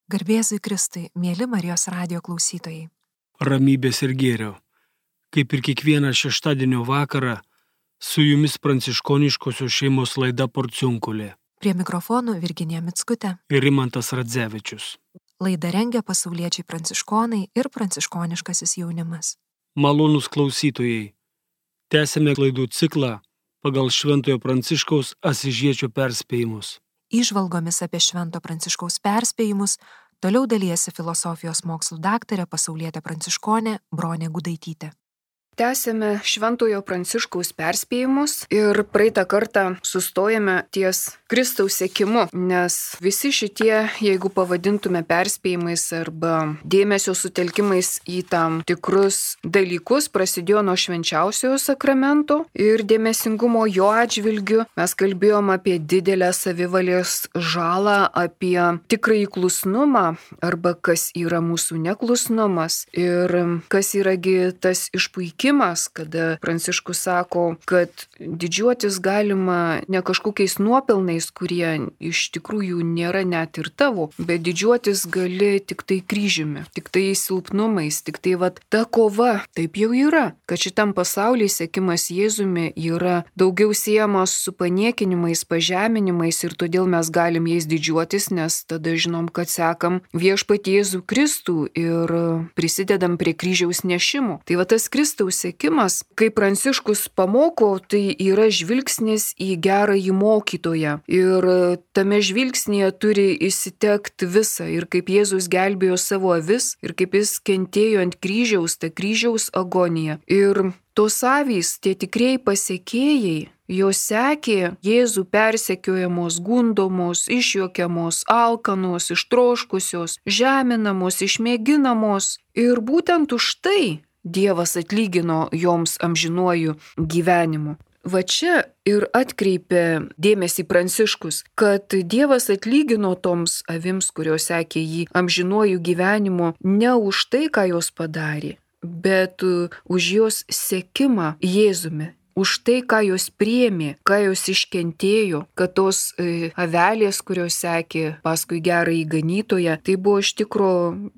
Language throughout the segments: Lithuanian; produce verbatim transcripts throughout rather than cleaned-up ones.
Garbėzui Kristui, mėly Marijos radijo klausytojai. Ramybės ir gėrio. Kaip ir kiekvieną šeštadienio vakarą, su jumis pranciškoniškosios šeimos laida Porciunkulė. Prie mikrofonų Virginija Mickutė Ir Rimantas Radzevičius. Laidą rengia pasauliečiai pranciškonai ir pranciškoniškasis jaunimas. Malonūs klausytojai, tęsime laidų ciklą pagal Šventojo Pranciškaus Asyžiečio perspėjimus. Įžvalgomis apie Švento Pranciškaus perspėjimus toliau dalijasi filosofijos mokslų daktarė pasaulietė pranciškonė Bronė Gudaitytė. Tęsėme Šventojo Pranciškaus perspėjimus ir praeitą kartą sustojame ties Kristaus sekimu, nes visi šitie, jeigu pavadintume perspėjimais arba dėmesio sutelkimais į tam tikrus dalykus, prasidėjo nuo švenčiausiojo sakramento ir dėmesingumo jo atžvilgiu. Mes kalbėjom apie didelę savivalės žalą, apie tikrąjį klusnumą arba kas yra mūsų neklusnumas ir kas yragi tas išpuikimas. Kada Pranciškus sako, kad didžiuotis galima ne kažkokiais nuopelnais, kurie iš tikrųjų nėra net ir tavo, bet didžiuotis gali tik tai kryžiumi, tik tai silpnumais, tik tai vat ta kova. Taip jau yra, kad šitam pasaulyje sekimas Jėzumi yra daugiau siejamas su paniekinimais, pažeminimais ir todėl mes galim jais didžiuotis, nes tada žinom, kad sekam viešpatį Jėzų Kristų ir prisidedam prie kryžiaus nešimo. Tai va tas Kristaus sekimas, kai Pranciškus pamoko, tai yra žvilgsnis į gerąjį mokytoją. Ir tame žvilgsnėje turi įsitekti visa. Ir kaip Jėzus gelbėjo savo avis, ir kaip jis kentėjo ant kryžiaus, ta kryžiaus agonija. Ir tos avys, tie tikrieji pasekėjai, jos sekė Jėzų persekiojamos, gundomos, išjuokiamos, alkanos, ištroškusios, žeminamos, išmėginamos. Ir būtent už tai Dievas atlygino joms amžinuoju gyvenimu. Va čia ir atkreipė dėmesį Pranciškus, kad Dievas atlygino toms avims, kurios sekė jį amžinuoju gyvenimu, ne už tai, ką jos padarė, bet už jos sekimą Jėzumi. Už tai, ką jos priėmė, ką jos iškentėjo, kad tos e, avelės, kurios sekė paskui gerąjį ganytoją, tai buvo iš tikro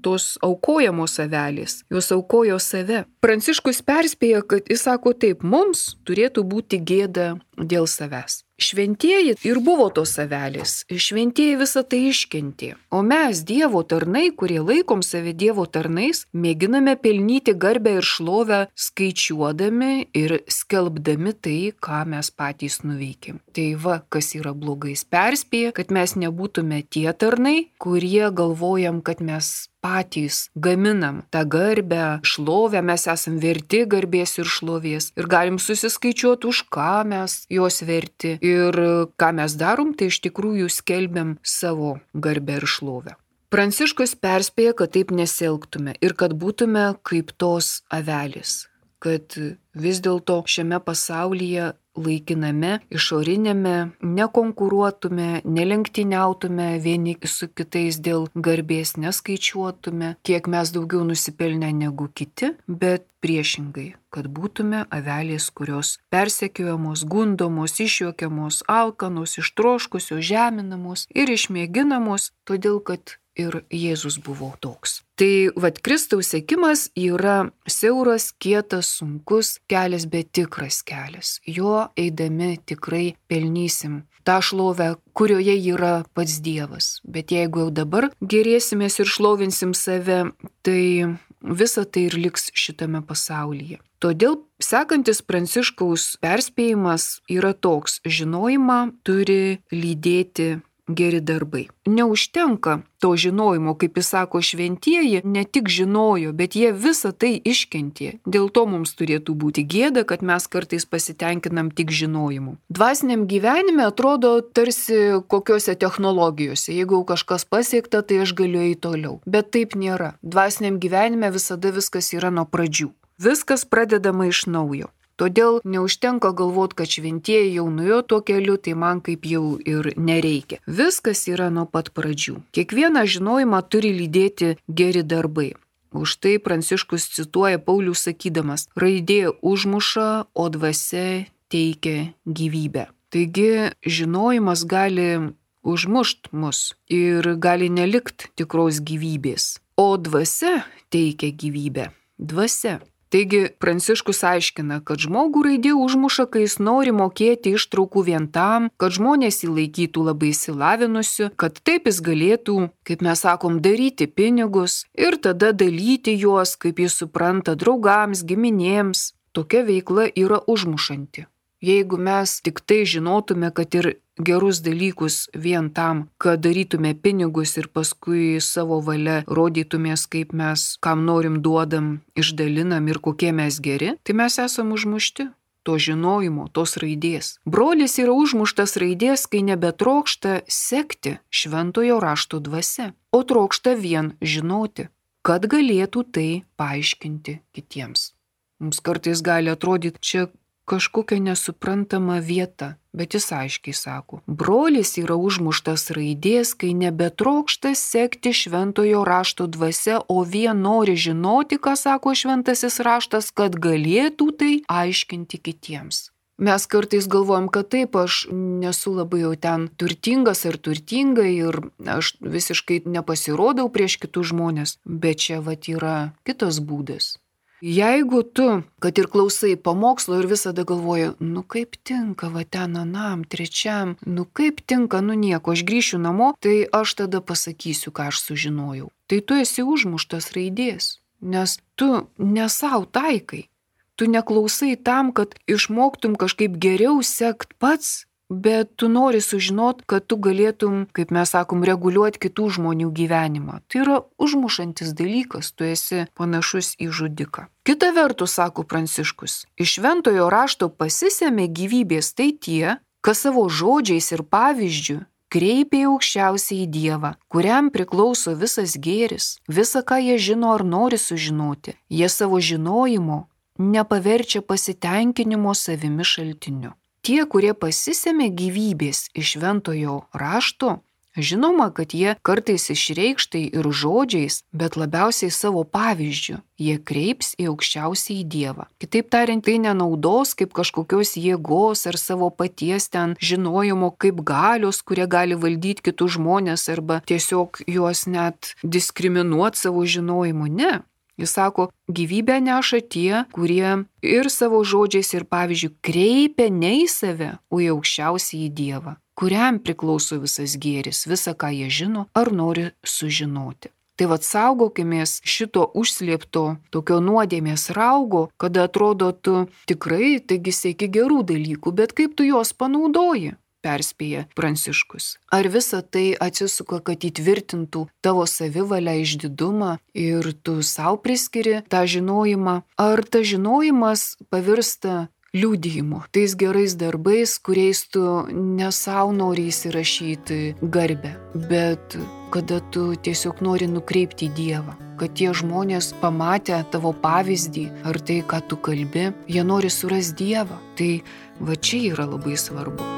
tos aukojamos avelės. Jos aukojo save. Pranciškus perspėja, kad jis sako taip, mums turėtų būti gėda dėl savęs. Šventieji ir buvo tos avelės, šventieji visą tai iškentė. O mes, Dievo tarnai, kurie laikom save Dievo tarnais, mėginame pelnyti garbę ir šlovę, skaičiuodami ir skelbdami tai, ką mes patys nuveikėm. Tai va, kas yra blogais, perspėja, kad mes nebūtume tie tarnai, kurie galvojam, kad mes patys gaminam tą garbę, šlovę, mes esam verti garbės ir šlovės ir galim susiskaičiuoti, už ką mes jos verti ir ką mes darom, tai iš tikrųjų skelbiam savo garbę ir šlovę. Pranciškus perspėja, kad taip nesielgtume ir kad būtume kaip tos avelės, kad vis dėlto šiame pasaulyje laikiname, išorinėme, nekonkuruotume, nelenktyniautume vieni su kitais dėl garbės, neskaičiuotume, kiek mes daugiau nusipelnę negu kiti, bet priešingai, kad būtume avelės, kurios persekiojamos, gundomos, išjuokiamos, alkanos, ištroškusios, žeminamos ir išmėginamos, todėl kad ir Jėzus buvo toks. Tai vat Kristaus sekimas yra siauras, kietas, sunkus kelias, bet tikras kelias. Jo eidami tikrai pelnysim tą šlovę, kurioje yra pats Dievas. Bet jeigu jau dabar gerėsimės ir šlovinsim save, tai visa tai ir liks šitame pasaulyje. Todėl sekantis Pranciškaus perspėjimas yra toks: žinojimą turi lydėti geri darbai. Neužtenka to žinojimo, kaip jis sako, šventieji ne tik žinojo, bet jie visą tai iškentė. Dėl to mums turėtų būti gėda, kad mes kartais pasitenkinam tik žinojimu. Dvasiniam gyvenime atrodo tarsi kokiose technologijose. Jeigu kažkas pasiekta, tai aš galiu eiti toliau. Bet taip nėra. Dvasiniam gyvenime visada viskas yra nuo pradžių. Viskas pradedama iš naujo. Todėl neužtenka galvoti, kad šventieji jau nuėjo tuo keliu, tai man kaip jau ir nereikia. Viskas yra nuo pat pradžių. Kiekvieną žinojimą turi lydėti geri darbai. Už tai Pranciškus cituoja Paulių sakydamas: raidė užmuša, o dvasia teikia gyvybę. Taigi žinojimas gali užmušt mus ir gali nelikt tikros gyvybės. O dvasia teikia gyvybę. Dvasia. Taigi Pranciškus aiškina, kad žmogų raidė užmuša, kai jis nori mokėti ištraukų vien tam, kad žmonės jį laikytų labai išsilavinusiu, kad taip jis galėtų, kaip mes sakom, daryti pinigus ir tada dalyti juos, kaip jis supranta, draugams, giminėms. Tokia veikla yra užmušanti. Jeigu mes tik tai žinotume, kad ir gerus dalykus vien tam, kad darytume pinigus ir paskui savo valia rodytumės, kaip mes, kam norim duodam, išdalinam ir kokie mes geri, tai mes esam užmušti to žinojimo, tos raidės. Brolis yra užmuštas raidės, kai nebetrokšta sekti šventojo rašto dvasia, o trokšta vien žinoti, kad galėtų tai paaiškinti kitiems. Mums kartais gali atrodyti, čia kažkokia nesuprantama vieta, bet jis aiškiai sako, brolis yra užmuštas raidės, kai nebetrokšta sekti šventojo rašto dvasia, o vien nori žinoti, ką sako šventasis raštas, kad galėtų tai aiškinti kitiems. Mes kartais galvojam, kad taip, aš nesu labai jau ten turtingas ar turtinga ir aš visiškai nepasirodau prieš kitus žmonės, bet čia vat yra kitas būdas. Jeigu tu, kad ir klausai pamokslo ir visada galvoji, nu kaip tinka va ten anam, trečiam, nu kaip tinka, nu nieko, aš grįšiu namo, tai aš tada pasakysiu, ką aš sužinojau. Tai tu esi užmuštas raidės, nes tu ne sau taikai, tu neklausai tam, kad išmoktum kažkaip geriau sekt pats, bet tu nori sužinot, kad tu galėtum, kaip mes sakom, reguliuoti kitų žmonių gyvenimą. Tai yra užmušantis dalykas, tu esi panašus į žudiką. Kita vertus, sako Pranciškus, iš šventojo rašto pasisėmė gyvybės tai tie, kas savo žodžiais ir pavyzdžiu kreipia į aukščiausiąjį Dievą, kuriam priklauso visas gėris, visa, ką jie žino ar nori sužinoti. Jie savo žinojimo nepaverčia pasitenkinimo savimi šaltiniu. Tie, kurie pasisėmė gyvybės iš šventojo rašto, žinoma, kad jie kartais išreikštai ir žodžiais, bet labiausiai savo pavyzdžiu, jie kreips į aukščiausiąjį Dievą. Kitaip tariant, tai nenaudos kaip kažkokios jėgos ar savo paties ten žinojimo kaip galios, kurie gali valdyti kitus žmonės arba tiesiog juos net diskriminuoti savo žinojimu. Ne. Jis sako, gyvybę neša tie, kurie ir savo žodžiais ir pavyzdžiui kreipia ne į save, o į aukščiausiąjį Dievą, kuriam priklauso visas gėris, visa, ką jie žino ar nori sužinoti. Tai vat saugokimės šito užslėpto tokio nuodėmės raugo, kada atrodo tu tikrai, taigi sieki gerų dalykų, bet kaip tu juos panaudoji? Perspėja Pranciškus. Ar visa tai atsisuka, kad įtvirtintų tavo savivalę, išdidumą ir tu savo priskiri tą žinojimą? Ar ta žinojimas pavirsta liudijimu, tais gerais darbais, kuriais tu ne savo nori įsirašyti garbę, bet kada tu tiesiog nori nukreipti į Dievą, kad tie žmonės pamatę tavo pavyzdį ar tai, ką tu kalbi, jie nori surasti Dievą. Tai va čia yra labai svarbu.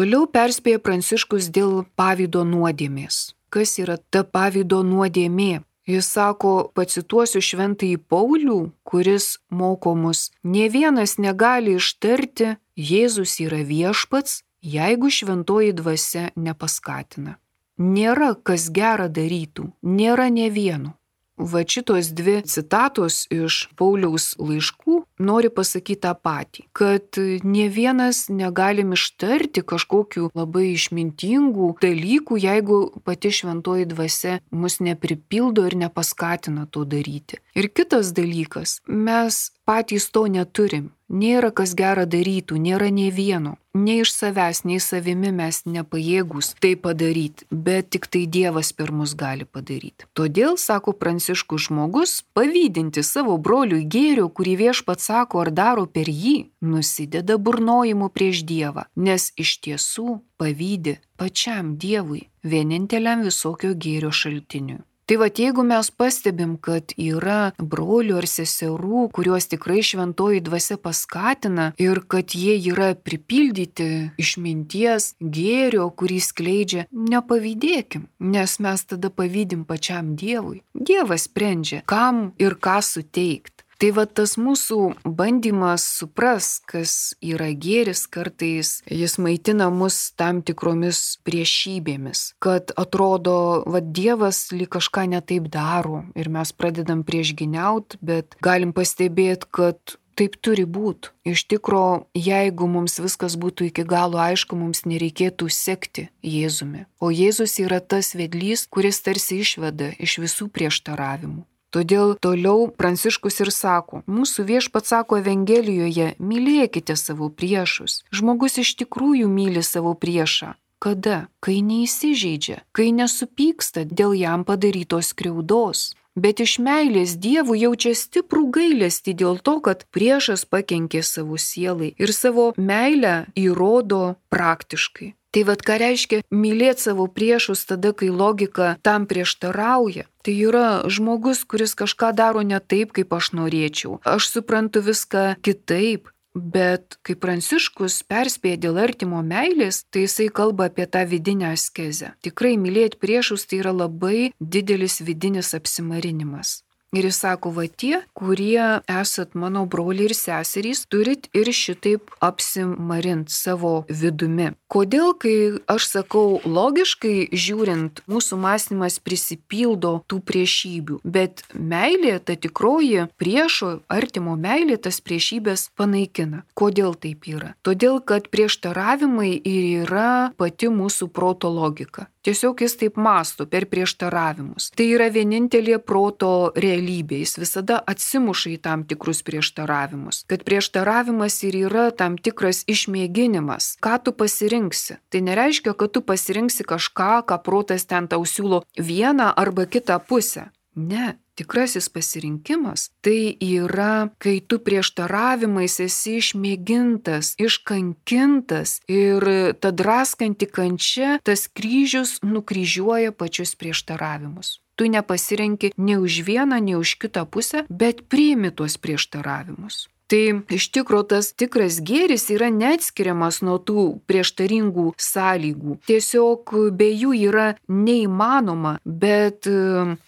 Toliau perspėja Pranciškus dėl pavydo nuodėmės. Kas yra ta pavydo nuodėmė? Jis sako, pacituosiu šventąjį Paulių, kuris moko mus, nė vienas negali ištarti, Jėzus yra viešpats, jeigu šventoji dvasia nepaskatina. Nėra kas gerą darytų, nėra nė vieno. Va šitos dvi citatos iš Pauliaus laiškų nori pasakyti tą patį, kad nė vienas negalim ištarti kažkokių labai išmintingų dalykų, jeigu pati šventoji dvasia mus nepripildo ir nepaskatina to daryti. Ir kitas dalykas, mes patys to neturim. Nėra kas gerą darytų, nėra nė vieno. Nei iš savęs, nei savimi mes nepajėgus tai padaryti, bet tik tai Dievas per mus gali padaryti. Todėl, sako Pranciškus, žmogus, pavydinti savo broliui gėrio, kurį viešpats sako ar daro per jį, nusideda burnojimu prieš Dievą, nes iš tiesų pavydi pačiam Dievui, vieninteliam visokio gėrio šaltiniui. Tai va, jeigu mes pastebim, kad yra brolių ar seserų, kuriuos tikrai šventoji dvasia paskatina ir kad jie yra pripildyti išminties, gėrio, kurį skleidžia, nepavydėkim, nes mes tada pavydim pačiam Dievui. Dievas sprendžia, kam ir ką suteikti. Tai va tas mūsų bandymas supras, kas yra gėris, kartais jis maitina mus tam tikromis priešybėmis, kad atrodo, va Dievas lyg kažką netaip daro ir mes pradedam priešginiaut, bet galim pastebėti, kad taip turi būti. Iš tikro, jeigu mums viskas būtų iki galo aišku, mums nereikėtų sekti Jėzumi. O Jėzus yra tas vedlys, kuris tarsi išveda iš visų prieštaravimų. Todėl toliau Pranciškus ir sako, mūsų viešpats sako Evangelijoje, mylėkite savo priešus. Žmogus iš tikrųjų myli savo priešą. Kada? Kai neįsižeidžia, kai nesupyksta dėl jam padarytos skriaudos. Bet iš meilės Dievui jaučia stiprų gailestį dėl to, kad priešas pakenkė savo sielai ir savo meilę įrodo praktiškai. Tai vad ką reiškia mylėti savo priešus tada, kai logika tam prieštarauja. Tai yra žmogus, kuris kažką daro ne taip, kaip aš norėčiau. Aš suprantu viską kitaip. Bet kai Pranciškus perspėja dėl artimo meilės, tai jisai kalba apie tą vidinę askezę. Tikrai mylėti priešus tai yra labai didelis vidinis apsimarinimas. Ir jis sako, va tie, kurie esat mano broliai ir seserys, turit ir šitaip apsimarint savo vidumi. Kodėl, kai aš sakau logiškai žiūrint, mūsų mąstymas prisipildo tų priešybių, bet meilė, ta tikroji priešo, artimo meilė, tas priešybės panaikina. Kodėl taip yra? Todėl, kad prieštaravimai ir yra pati mūsų proto logika. Tiesiog jis taip mąsto per prieštaravimus. Tai yra vienintelė proto realybė, jis visada atsimuša į tam tikrus prieštaravimus. Kad prieštaravimas ir yra tam tikras išmėginimas. Ką tu pasirinksi? Tai nereiškia, kad tu pasirinksi kažką, ką protas ten tau siūlo vieną arba kitą pusę. Ne. Tikrasis pasirinkimas tai yra, kai tu prieštaravimais esi išmėgintas, iškankintas ir ta draskanti kančia, tas kryžius nukryžiuoja pačius prieštaravimus. Tu nepasirenki nei už vieną, nei už kitą pusę, bet priimi tuos prieštaravimus. Tai iš tikro tas tikras gėris yra neatskiriamas nuo tų prieštaringų sąlygų. Tiesiog be jų yra neįmanoma, bet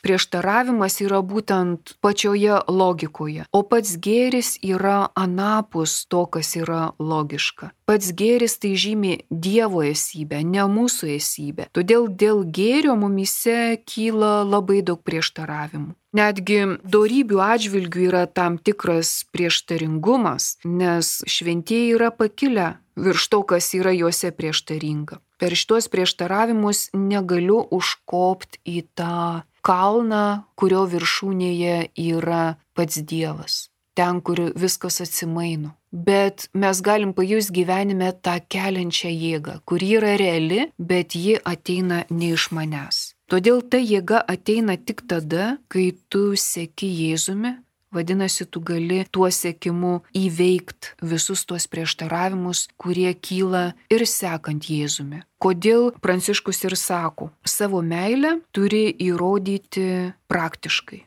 prieštaravimas yra būtent pačioje logikoje. O pats gėris yra anapus to, kas yra logiška. Pats gėris tai žymi Dievo esybę, ne mūsų esybę. Todėl dėl gėrio mumise kyla labai daug prieštaravimų. Netgi dorybių atžvilgių yra tam tikras prieštaringumas, nes šventieji yra pakilę virš to, kas yra juose prieštaringa. Per šitos prieštaravimus negaliu užkopti į tą kalną, kurio viršūnėje yra pats Dievas, ten, kur viskas atsimaino. Bet mes galim pajusti gyvenime tą keliančią jėgą, kuri yra reali, bet ji ateina ne iš manęs. Todėl ta jėga ateina tik tada, kai tu seki Jėzumi, vadinasi, tu gali tuo sekimu įveikti visus tuos prieštaravimus, kurie kyla ir sekant Jėzumi. Kodėl Pranciškus ir sako, savo meilę turi įrodyti praktiškai.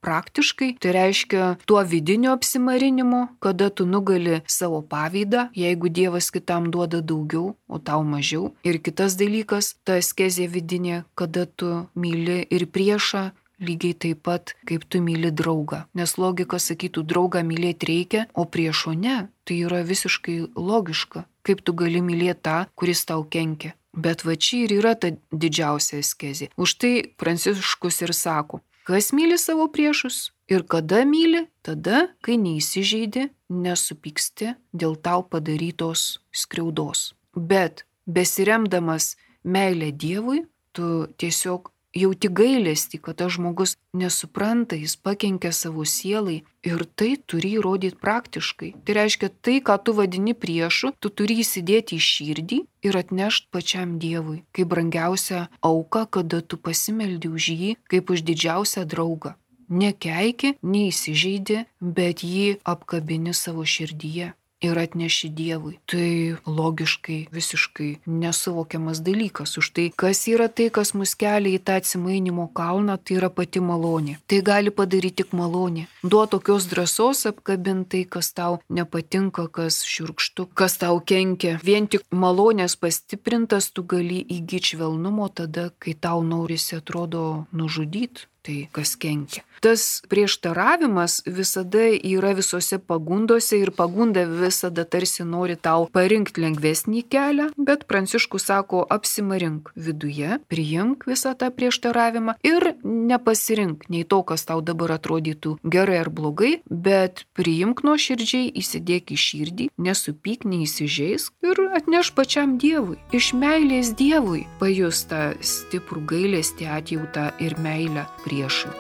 praktiškai, tai reiškia tuo vidiniu apsimarinimu, kada tu nugali savo pavydą, jeigu Dievas kitam duoda daugiau, o tau mažiau. Ir kitas dalykas, ta askezė vidinė, kada tu myli ir priešą, lygiai taip pat, kaip tu myli draugą. Nes logika sakytų, draugą mylėti reikia, o priešo ne. Tai yra visiškai logiška. Kaip tu gali mylėti tą, kuris tau kenkia. Bet va čia ir yra ta didžiausia askezė. Už tai Pranciškus ir sako, kas myli savo priešus ir kada myli, tada, kai neįsižeidi, nesupyksti dėl tau padarytos skriaudos. Bet besiremdamas meilę Dievui, tu tiesiog jauti gailestį, kad tas žmogus nesupranta, jis pakenkia savo sielai ir tai turi įrodyti praktiškai. Tai reiškia, tai, ką tu vadini priešu, tu turi įsidėti į širdį ir atnešti pačiam Dievui, kaip brangiausią auką, kada tu pasimeldi už jį, kaip už didžiausią draugą. Nekeiki, neįsižeidi, bet jį apkabini savo širdyje ir atneši Dievui. Tai logiškai visiškai nesuvokiamas dalykas. Už tai, kas yra tai, kas mus kelia į tą atsimainimo kalną, tai yra pati malonė. Tai gali padaryti tik malonė. Duo tokios drąsos apkabintai, kas tau nepatinka, kas šiurkštu, kas tau kenkia. Vien tik malonės pastiprintas tu gali įgyti švelnumo tada, kai tau norisi atrodo nužudyti. Tai kas kenkia. Tas prieštaravimas visada yra visose pagundose ir pagunda visada tarsi nori tau parinkti lengvesnį kelią, bet Pranciškus sako, apsimarink viduje, priimk visą tą prieštaravimą ir nepasirink nei to, kas tau dabar atrodytų gerai ar blogai, bet priimk nuoširdžiai, įsidėk į širdį, nesupyk, neįsižeisk ir atneš pačiam Dievui. Iš meilės Dievui pajus tą stiprų gailestį, atjautą ir meilę priešui.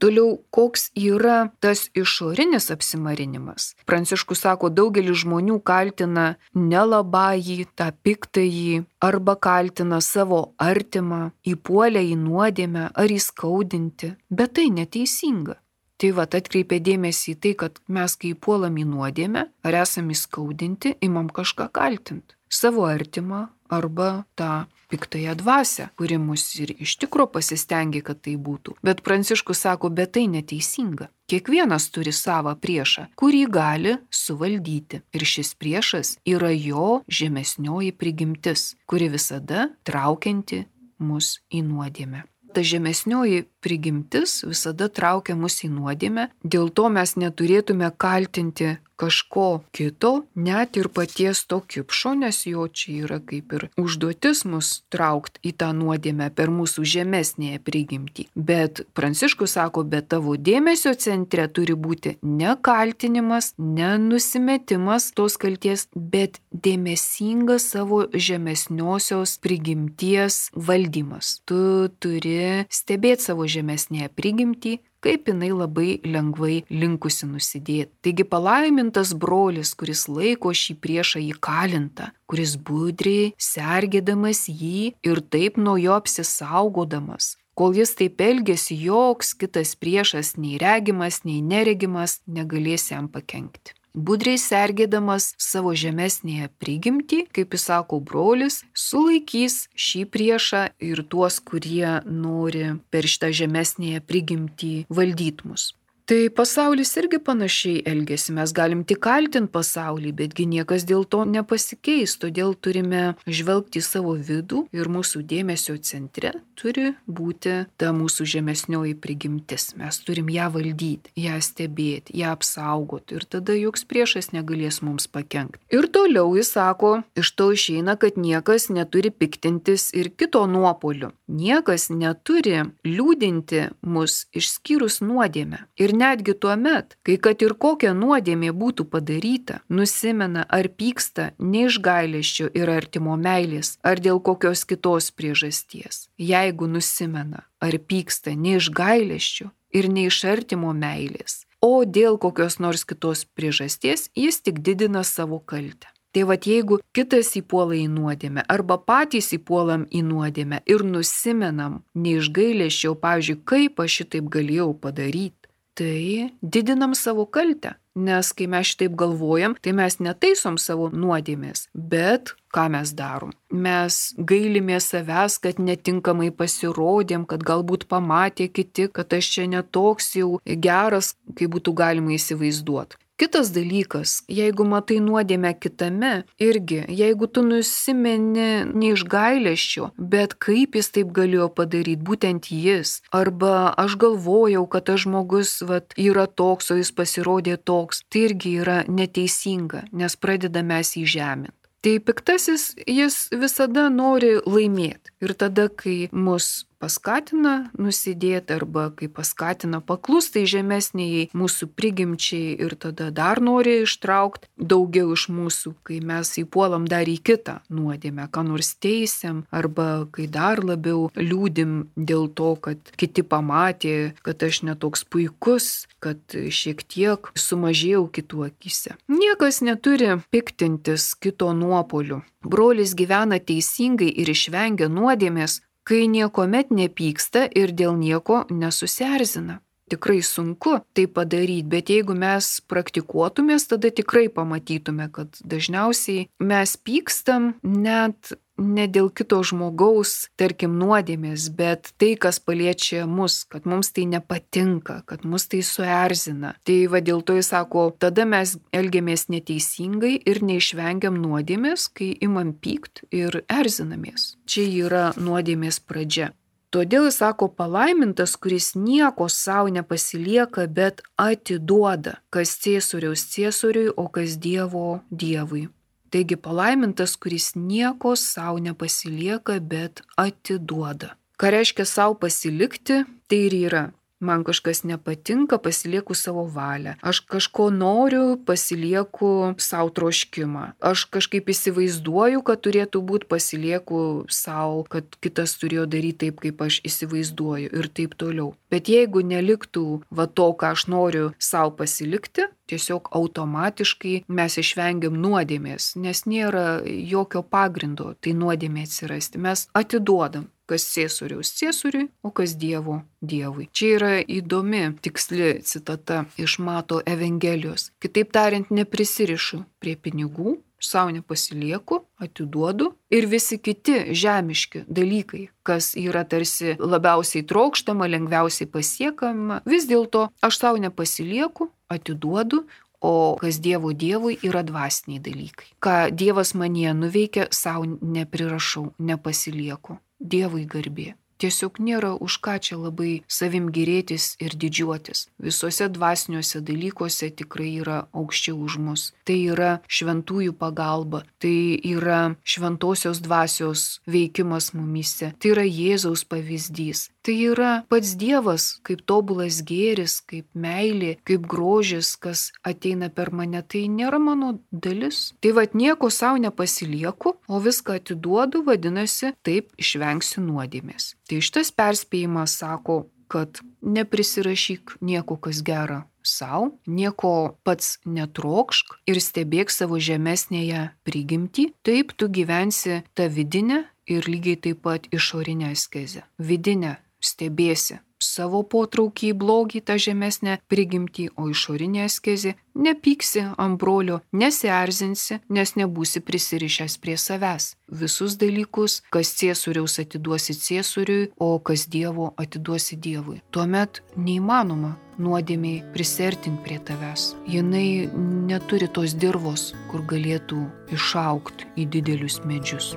Toliau, koks yra tas išorinis apsimarinimas? Pranciškus sako, daugelis žmonių kaltina nelabąjį, tą piktąjį, arba kaltina savo artimą, įpuolę į nuodėmę ar įskaudinti, bet tai neteisinga. Tai va, atkreipia dėmesį į tai, kad mes, kai puolam į nuodėmę, ar esam įskaudinti, imam kažką kaltinti. Savo artimą arba tą piktąją dvasią, kuri mus ir iš tikro pasistengia, kad tai būtų. Bet Pranciškus sako, bet tai neteisinga. Kiekvienas turi savą priešą, kurį gali suvaldyti. Ir šis priešas yra jo žemesnioji prigimtis, kuri visada traukianti mus į nuodėmę. Ta žemesnioji prigimtis visada traukia mus į nuodėmę, dėl to mes neturėtume kaltinti kažko kito, net ir paties to kipšo, nes jo čia yra kaip ir užduotis mus traukt į tą nuodėmę per mūsų žemesnėje prigimtį. Bet Pranciškus sako, bet tavo dėmesio centre turi būti ne kaltinimas, ne nusimetimas tos kalties, bet dėmesingas savo žemesniosios prigimties valdymas. Tu turi stebėti savo žemesnėje prigimtį, kaip jinai labai lengvai linkusi nusidėti. Taigi palaimintas brolis, kuris laiko šį priešą įkalintą, kuris budriai sergėdamas jį ir taip nuo jo apsisaugodamas. Kol jis taip elgėsi, joks kitas priešas, nei regimas, nei neregimas, negalės jam pakenkti. Budriai sergėdamas savo žemesnėje prigimtį, kaip jis sako brolis, sulaikys šį priešą ir tuos, kurie nori per šitą žemesnėje prigimtį valdyti mus. Tai pasaulis irgi panašiai elgesi, mes galim tik kaltinti pasaulį, betgi niekas dėl to nepasikeis, todėl turime žvelgti į savo vidų ir mūsų dėmesio centre turi būti ta mūsų žemesnioji prigimtis. Mes turim ją valdyti, ją stebėti, ją apsaugoti ir tada joks priešas negalės mums pakenkti. Ir toliau jis sako, iš to išeina, kad niekas neturi piktintis ir kito nuopolių. Niekas neturi liūdinti mus išskyrus nuodėmę. Ir netgi tuo met, kai kad ir kokia nuodėmė būtų padaryta, nusimena ar pyksta ne iš gailesčio ir artimo meilės, ar dėl kokios kitos priežasties. Jeigu nusimena ar pyksta ne iš gailesčio ir ne iš artimo meilės, o dėl kokios nors kitos priežasties, jis tik didina savo kaltę. Tai vat jeigu kitas įpuola į nuodėmę arba patys įpuolam į nuodėmę ir nusimenam ne iš gailesčio, pavyzdžiui, kaip aš šitaip galėjau padaryti, tai didinam savo kaltę, nes kai mes šitaip galvojam, tai mes netaisom savo nuodėmės, bet ką mes darom? Mes gailimės savęs, kad netinkamai pasirodėm, kad galbūt pamatė kiti, kad aš čia netoks jau geras, kaip būtų galima įsivaizduoti. Kitas dalykas, jeigu matai nuodėmę kitame, irgi, jeigu tu nusimeni ne iš gailesčio, bet kaip jis taip galėjo padaryti, būtent jis, arba aš galvojau, kad tas žmogus vat, yra toks, o jis pasirodė toks, tai irgi yra neteisinga, nes pradeda mes jį žeminti. Tai piktasis, jis visada nori laimėti ir tada, kai mus paskatina nusidėti arba kai paskatina paklusti žemesniai mūsų prigimčiai ir tada dar nori ištraukti daugiau iš mūsų, kai mes įpuolam dar į kitą nuodėmę, ką nors teisiam arba kai dar labiau liūdim dėl to, kad kiti pamatė, kad aš netoks puikus, kad šiek tiek sumažėjau kitų akyse. Niekas neturi piktintis kito nuopolių. Brolis gyvena teisingai ir išvengia nuodėmės, kai niekuomet nepyksta ir dėl nieko nesusierzina. Tikrai sunku tai padaryti, bet jeigu mes praktikuotumės, tada tikrai pamatytume, kad dažniausiai mes pykstam net ne dėl kito žmogaus, tarkim, nuodėmės, bet tai, kas paliečia mus, kad mums tai nepatinka, kad mus tai suerzina. Tai va dėl to jis sako, tada mes elgiamės neteisingai ir neišvengiam nuodėmės, kai imam pykt ir erzinamės. Čia yra nuodėmės pradžia. Todėl jis sako, palaimintas, kuris nieko savo nepasilieka, bet atiduoda, kas ciesoriaus ciesoriui, o kas Dievo Dievui. Taigi palaimintas, kuris nieko savo nepasilieka, bet atiduoda. Ką reiškia savo pasilikti, tai ir yra. Man kažkas nepatinka, pasilieku savo valią. Aš kažko noriu, pasilieku savo troškimą. Aš kažkaip įsivaizduoju, kad turėtų būti, pasilieku savo, kad kitas turėjo daryti taip, kaip aš įsivaizduoju ir taip toliau. Bet jeigu neliktų va to, ką aš noriu savo pasilikti, tiesiog automatiškai mes išvengiam nuodėmės, nes nėra jokio pagrindo tai nuodėmė atsirasti. Mes atiduodam, kas ciesoriaus ciesoriui, o kas Dievo Dievui. Čia yra įdomi, tiksli citata iš Mato Evangelijos. Kitaip tariant, neprisirišu prie pinigų, savo nepasilieku, atiduodu ir visi kiti žemiški dalykai, kas yra tarsi labiausiai trokštama, lengviausiai pasiekama, vis dėlto aš savo nepasilieku, atiduodu, o kas Dievo Dievui yra dvasiniai dalykai. Ką Dievas manyje nuveikia, savo neprirašau, nepasilieku. Dievui garbė. Tiesiog nėra už ką čia labai savim gėrėtis ir didžiuotis. Visuose dvasiniuose dalykuose tikrai yra aukščiau už mus. Tai yra šventųjų pagalba, tai yra šventosios dvasios veikimas mumyse, tai yra Jėzaus pavyzdys. Tai yra pats Dievas, kaip tobulas gėris, kaip meilė, kaip grožis, kas ateina per mane, tai nėra mano dalis. Tai vad nieko savo nepasilieku, o viską atiduodu, vadinasi, taip išvengsiu nuodėmės. Tai šitas perspėjimas sako, kad neprisirašyk nieko, kas gera sau, nieko pats netrokšk ir stebėk savo žemesnėje prigimtį, taip tu gyvensi tą vidinę ir lygiai taip pat išorinę askezę. Vidinę stebėsi savo potraukį į blogį, tą žemesnę prigimtį, o išorinė askezė nepyksi ant brolio, nesierzinsi, nes nebūsi prisirišęs prie savęs. Visus dalykus, kas ciesoriaus atiduosi ciesoriui, o kas Dievo atiduosi Dievui. Tuomet neįmanoma nuodėmiai prisertinti prie tavęs. Jinai neturi tos dirvos, kur galėtų išaugti į didelius medžius.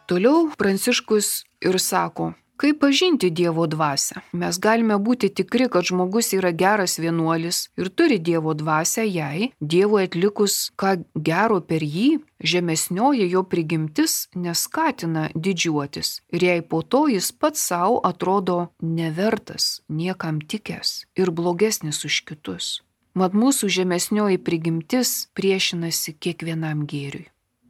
Toliau Pranciškus ir sako, kaip pažinti Dievo dvasią. Mes galime būti tikri, kad žmogus yra geras vienuolis ir turi Dievo dvasią, jei Dievui atlikus ką gero per jį, žemesnioji jo prigimtis neskatina didžiuotis ir jei po to jis pats savo atrodo nevertas, niekam tikęs ir blogesnis už kitus. Mat mūsų žemesnioji prigimtis priešinasi kiekvienam gėriui.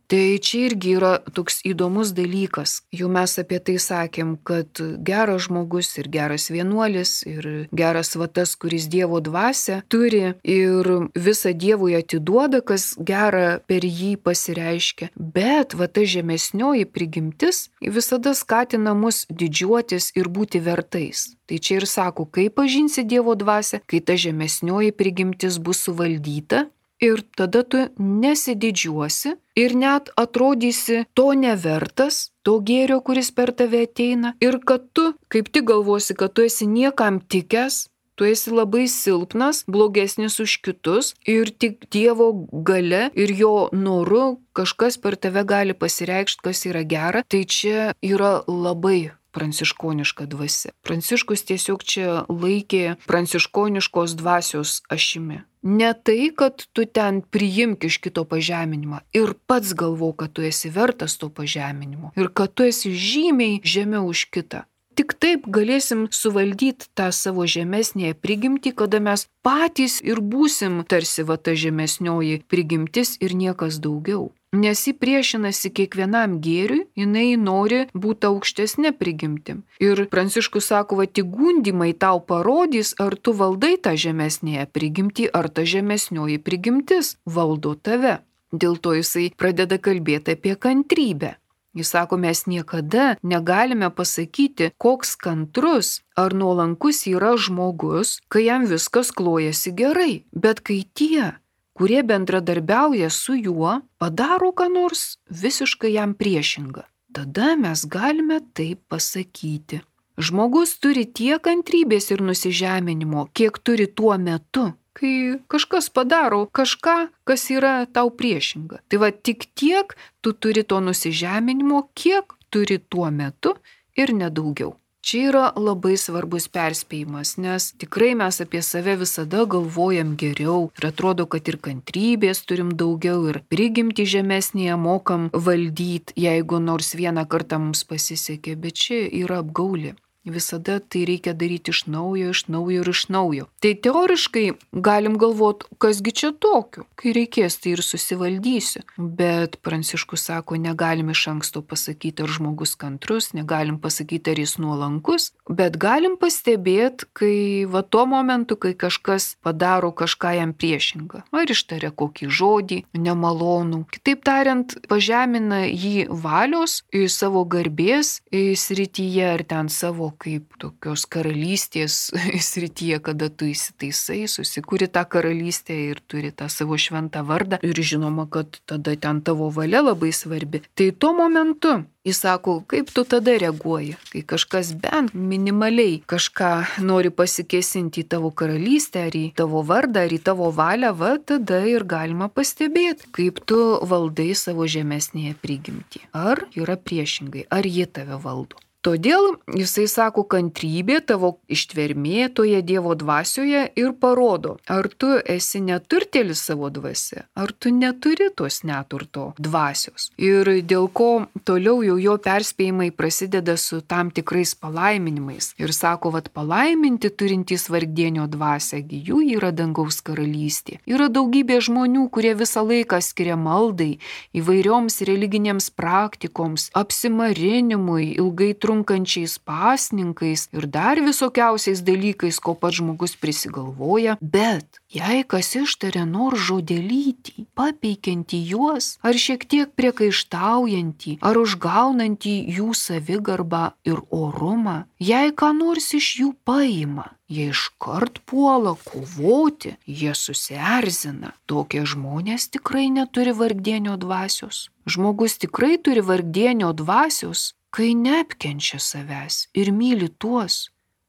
Tai čia irgi yra toks įdomus dalykas. Jau mes apie tai sakėm, kad geras žmogus ir geras vienuolis ir geras va tas, kuris Dievo dvasią turi ir visą Dievui atiduoda, kas gera per jį pasireiškia. Bet va ta žemesnioji prigimtis visada skatina mus didžiuotis ir būti vertais. Tai čia ir sako, kaip pažinsi Dievo dvasią, kai ta žemesnioji prigimtis bus suvaldyta. Ir tada tu nesididžiuosi ir net atrodysi to nevertas, to gėrio, kuris per tave ateina. Ir kad tu kaip tik galvosi, kad tu esi niekam tikęs, tu esi labai silpnas, blogesnis už kitus ir tik Dievo galia ir jo noru kažkas per tave gali pasireikšti, kas yra gera. Tai čia yra labai pranciškoniška dvasia. Pranciškus tiesiog čia laikė pranciškoniškos dvasios ašimi. Ne tai, kad tu ten priimk iš kito pažeminimą ir pats galvo, kad tu esi vertas to pažeminimo ir kad tu esi žymiai žemiau už kitą. Tik taip galėsim suvaldyti tą savo žemesnėje prigimtį, kada mes patys ir būsim tarsi va ta žemesnioji prigimtis ir niekas daugiau. Nes ji priešinasi kiekvienam gėriui, jinai nori būti aukštesnė prigimtim. Ir Pranciškus sako, va tik gundimai tau parodys, ar tu valdai tą žemesnėje prigimtį, ar ta žemesnioji prigimtis valdo tave. Dėl to jisai pradeda kalbėti apie kantrybę. Jis sako, mes niekada negalime pasakyti, koks kantrus ar nuolankus yra žmogus, kai jam viskas klojasi gerai. Bet kai tie, kurie bendradarbiauja su juo, padaro ką nors visiškai jam priešingą, tada mes galime taip pasakyti. Žmogus turi tiek kantrybės ir nusižeminimo, kiek turi tuo metu, kai kažkas padaro kažką, kas yra tau priešinga. Tai va tik tiek tu turi to nusižeminimo, kiek turi tuo metu ir nedaugiau. Čia yra labai svarbus perspėjimas, nes tikrai mes apie save visada galvojam geriau ir atrodo, kad ir kantrybės turim daugiau ir prigimtį žemesnėje mokam valdyti, jeigu nors vieną kartą mums pasisekė, bet čia yra apgaulė. Visada tai reikia daryti iš naujo, iš naujo ir iš naujo. Tai teoriškai galim galvoti, kasgi čia tokiu, kai reikės tai ir susivaldysiu. Bet Pranciškus sako, negalim iš anksto pasakyti, ar žmogus kantrus, negalim pasakyti, ar jis nuolankus, bet galim pastebėti, kai va tuo momentu, kai kažkas padaro kažką jam priešingą. Ar ištaria kokį žodį, nemalonų. Kitaip tariant, pažemina jį valios į savo garbės į srityje ar ten savo kaip tokios karalystės srityje, kada tu įsitaisai, susikuri tą karalystę ir turi tą savo šventą vardą ir žinoma, kad tada ten tavo valia labai svarbi. Tai tuo momentu jis sako, kaip tu tada reaguoji, kai kažkas bent minimaliai kažką nori pasikėsinti į tavo karalystę, ar į tavo vardą, ar į tavo valią, va tada ir galima pastebėti, kaip tu valdai savo žemesnėje prigimtį. Ar yra priešingai, ar jie tave valdo. Todėl jisai sako, kantrybė tavo ištvermė toje Dievo dvasioje ir parodo, ar tu esi neturtėlis savo dvasia, ar tu neturi tos neturto dvasios. Ir dėl ko toliau jau jo perspėjimai prasideda su tam tikrais palaiminimais. Ir sako, vat palaiminti turintys vargdienio dvasią, jų yra dangaus karalystė. Yra daugybė žmonių, kurie visą laiką skiria maldai, įvairioms religinėms praktikoms, apsimarinimui, ilgai trunkančiai trunkančiais pasninkais ir dar visokiausiais dalykais, ko pats žmogus prisigalvoja, bet jei kas ištaria nors žodelytį, papeikiantį juos, ar šiek tiek priekaištaujantį, ar užgaunantį jų savigarbą ir orumą, jei ką nors iš jų paima, jie iškart puola kovoti, jie susierzina. Tokie žmonės tikrai neturi vargdienio dvasios. Žmogus tikrai turi vargdienio dvasios, kai neapkenčia savęs ir myli tuos,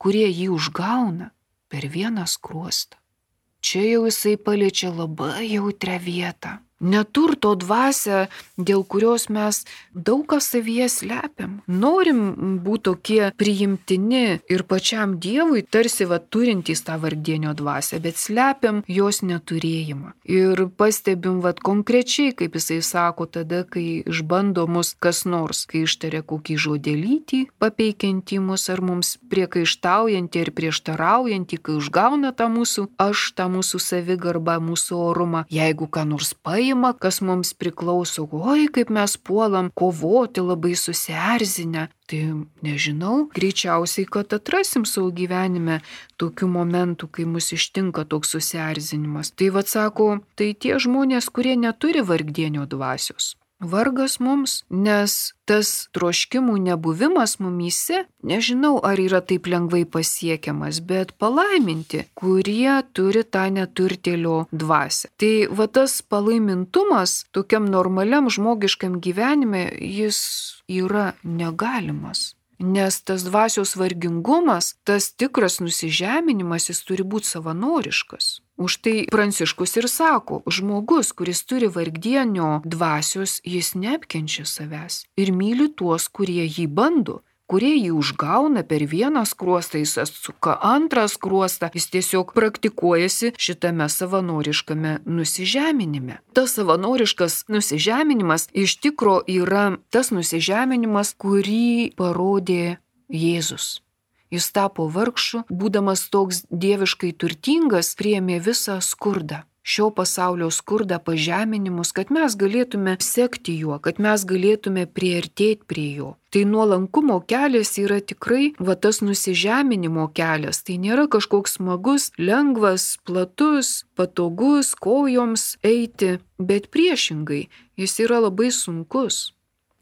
kurie jį užgauna per vieną skruostą. Čia jau jisai paliečia labai jautrią vietą. Neturto dvasia, dėl kurios mes daug ką savyje slepiam. Norim būti tokie priimtini ir pačiam Dievui, tarsi va turintys tą vargdienio dvasią, bet slepiam jos neturėjimą. Ir pastebim va konkrečiai, kaip jisai sako, tada, kai išbando mus kas nors, kai ištaria kokį žodelytį, papeikiantį mus ar mums priekaištaujantį ir prieštaraujantį, kai užgauna tą mūsų aš, tą mūsų savigarbą, mūsų orumą. Jeigu ką nors paima, kas mums priklauso, oi, kaip mes puolam kovoti labai susierzinę, tai nežinau, greičiausiai, kad atrasim savo gyvenime tokių momentų, kai mus ištinka toks susierzinimas. Tai vad sako, tai tie žmonės, kurie neturi vargdienio dvasios. Vargas mums, nes tas troškimų nebuvimas mumyse, nežinau, ar yra taip lengvai pasiekiamas, bet palaiminti, kurie turi tą neturtėlio dvasią. Tai va tas palaimintumas tokiam normaliam žmogiškam gyvenime, jis yra negalimas. Nes tas dvasios vargingumas, tas tikras nusižeminimas, jis turi būti savanoriškas. Už tai Pranciškus ir sako, žmogus, kuris turi vargdienio dvasios, jis neapkenčia savęs ir myli tuos, kurie jį bando, kurie jį užgauna per vieną skruostą, jis atsuka antrą skruostą, jis tiesiog praktikuojasi šitame savanoriškame nusižeminime. Tas savanoriškas nusižeminimas iš tikro yra tas nusižeminimas, kurį parodė Jėzus. Jis tapo vargšu, būdamas toks dieviškai turtingas, priėmė visą skurdą. Šio pasaulio skurdą, pažeminimus, kad mes galėtume sekti juo, kad mes galėtume priartėti prie jo. Tai nuolankumo kelias yra tikrai va tas nusižeminimo kelias. Tai nėra kažkoks smagus, lengvas, platus, patogus kojoms eiti, bet priešingai, jis yra labai sunkus.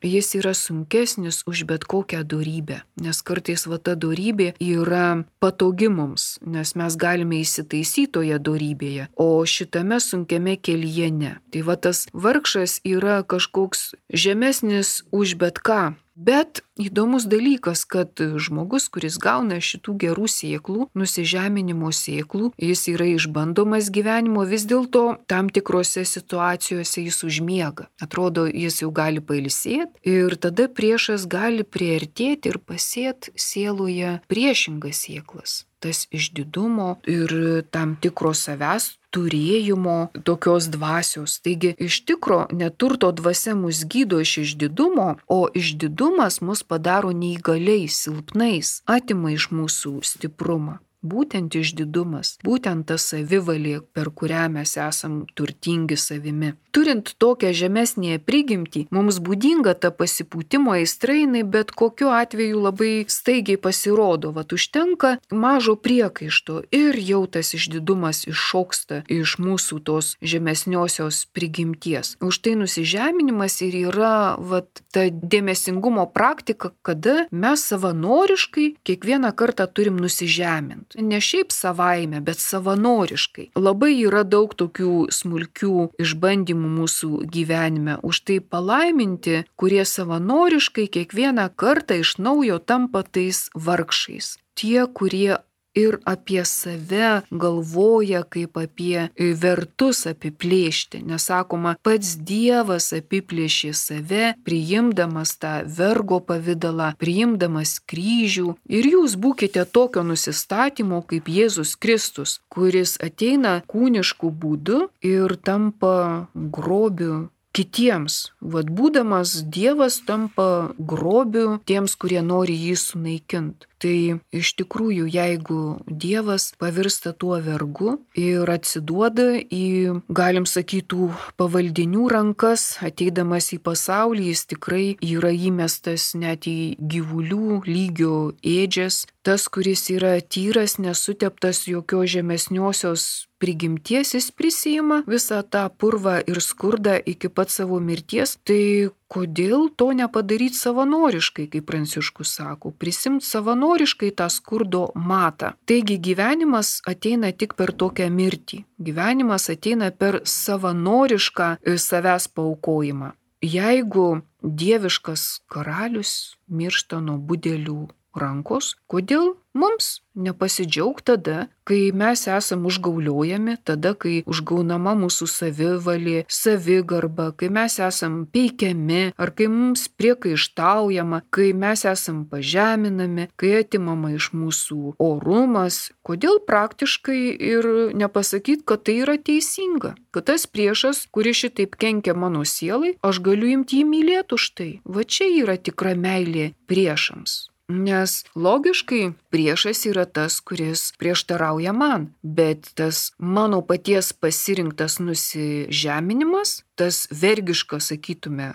Jis yra sunkesnis už bet kokią dorybę, nes kartais va ta dorybė yra patogi mums, nes mes galime įsitaisyti toje dorybėje, o šitame sunkiame kelyje ne. Tai va tas vargšas yra kažkoks žemesnis už bet ką. Bet įdomus dalykas, kad žmogus, kuris gauna šitų gerų sėklų, nusižeminimo sėklų, jis yra išbandomas gyvenimo, vis dėlto tam tikrose situacijose jis užmiega. Atrodo, jis jau gali pailsėti ir tada priešas gali priartėti ir pasėti sieloje priešingas sėklas. Tas išdidumo ir tam tikro savęs turėjimo tokios dvasios. Taigi iš tikro neturto dvasia mus gydo iš išdidumo, o išdidumas mus padaro neįgaliais, silpnais, atima iš mūsų stiprumą. Būtent išdidumas, būtent ta savivalė, per kurią mes esam turtingi savimi. Turint tokią žemesnėje prigimtį, mums būdinga ta pasipūtimo aistrainai, bet kokiu atveju labai staigiai pasirodo. Vat užtenka mažo priekaišto ir jau tas išdidumas iššoksta iš mūsų tos žemesniosios prigimties. Už tai nusižeminimas ir yra vat, ta dėmesingumo praktika, kada mes savanoriškai kiekvieną kartą turim nusižeminti. Ne šiaip savaime, bet savanoriškai. Labai yra daug tokių smulkių išbandymų mūsų gyvenime. Už tai palaiminti, kurie savanoriškai kiekvieną kartą iš naujo tampa tais vargšais. Tie, kurie ir apie save galvoja kaip apie vertus apiplėšti. Nesakoma, pats Dievas apiplėšė save, priimdamas tą vergo pavidalą, priimdamas kryžių. Ir jūs būkite tokio nusistatymo kaip Jėzus Kristus, kuris ateina kūnišku būdu ir tampa grobiu kitiems. Vat būdamas Dievas tampa grobiu tiems, kurie nori jį sunaikinti. Tai iš tikrųjų, jeigu Dievas pavirsta tuo vergu ir atsiduoda į, galim sakyti, pavaldinių rankas, ateidamas į pasaulį, jis tikrai yra įmestas net į gyvulių lygio ėdžias. Tas, kuris yra tyras, nesuteptas jokios žemesniosios prigimties, jis prisima visą tą purvą ir skurdą iki pat savo mirties. Tai kodėl to nepadaryti savanoriškai, kaip Pranciškus sako, prisimti savanoriškai tą skurdo matą. Taigi gyvenimas ateina tik per tokią mirtį. Gyvenimas ateina per savanorišką savęs paaukojimą. Jeigu dieviškas karalius miršta nuo budelių rankos, kodėl mums nepasidžiaugti tada, kai mes esam užgauliojami, tada, kai užgaunama mūsų savivalė, savigarba, kai mes esam peikiami, ar kai mums priekaištaujama, kai mes esam pažeminami, kai atimama iš mūsų orumas. Kodėl praktiškai ir nepasakyti, kad tai yra teisinga, kad tas priešas, kuris šitaip kenkia mano sielai, aš galiu imti jį mylėti už tai. Va čia yra tikra meilė priešams. Nes logiškai priešas yra tas, kuris prieštarauja man, bet tas mano paties pasirinktas nusižeminimas, tas vergiškas, sakytume,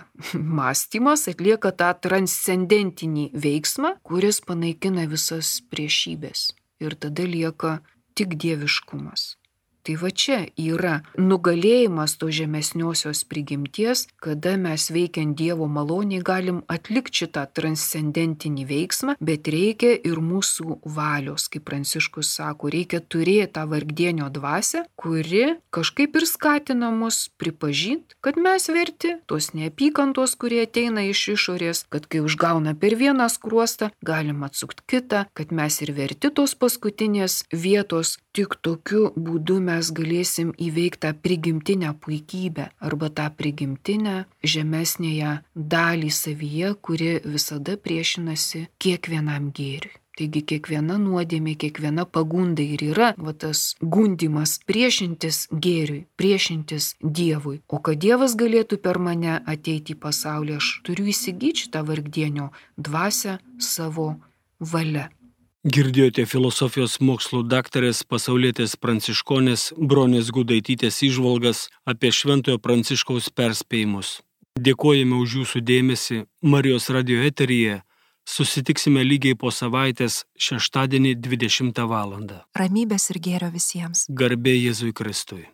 mąstymas atlieka tą transcendentinį veiksmą, kuris panaikina visas priešybės. Ir tada lieka tik dieviškumas. Tai va čia yra nugalėjimas to žemesniosios prigimties, kada mes veikiant Dievo maloniai galim atlikti šitą transcendentinį veiksmą, bet reikia ir mūsų valios, kaip Pranciškus sako, reikia turėti tą vargdienio dvasią, kuri kažkaip ir skatina mus pripažinti, kad mes verti tos neapykantos, kurie ateina iš išorės, kad kai užgauna per vieną skruostą, galim atsukti kitą, kad mes ir verti tos paskutinės vietos, tik tokiu būdu mes mes galėsim įveikti tą prigimtinę puikybę arba tą prigimtinę žemesnėje dalį savyje, kuri visada priešinasi kiekvienam gėriui. Taigi kiekviena nuodėmė, kiekviena pagunda ir yra va, tas gundimas priešintis gėriui, priešintis Dievui. O kad Dievas galėtų per mane ateiti į pasaulį, aš turiu įsigyti šitą vargdienio dvasią savo valia. Girdėjote filosofijos mokslų daktarės pasaulietės pranciškonės Bronės Gudaitytės įžvalgas apie Šventojo Pranciškaus perspėjimus. Dėkojame už jūsų dėmesį. Marijos radio eteryje susitiksime lygiai po savaitės šeštadienį dvidešimtą valandą. Ramybės ir gėrio visiems. Garbė Jėzui Kristui.